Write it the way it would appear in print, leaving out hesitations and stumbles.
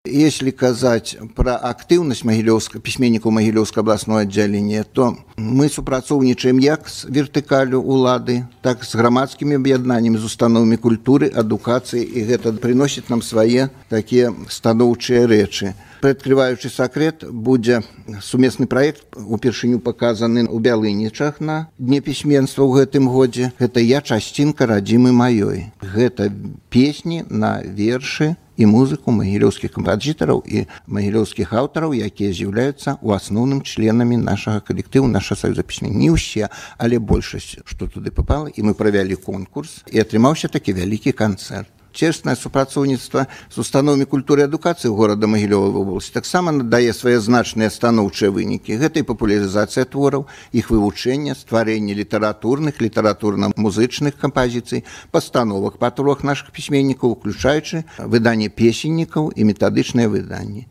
Если казаць пра актыўнасць пісьменнікаў Магілёўскага абласного аддзялення, то мы супрацоўнічаем як з вертыкалю улады, так з грамадскімі аб'яднаннямі, з установамі культуры, адукацыі, і гэта прыносіць нам свае такія станоўчыя рэчы. Прыадкрываючы сакрэт, будзе сумесны праект упершыню паказаны ў Бялынічах на дне пісьменства ў гэтым годзе. Гэта «Я часцінка радзімы маёй». Гэта песні на вершы і музыку магілёўскіх кампазітараў і магілёўскіх аўтараў, якія з'яўляюцца ў асноўным членамі нашага калектыву, нашага саюза пісьменнікаў. Не ўсе, але большасць, што туды папала, і мы правялі конкурс, і атрымаўся такі вялікі канцэрт. Цеснае супрацоўніцтва з установамі культуры і адукацыі горада Магілёва вобласці таксама надае свае значныя станоўчыя вынікі. Гэта і папулярызацыя твораў, іх вывучэнне, стварэнне літаратурных, літаратурна-музычных кампазіцый, пастановак па творах нашых пісьменнікаў, уключаючы выданне песеннікаў і метадычныя выданні.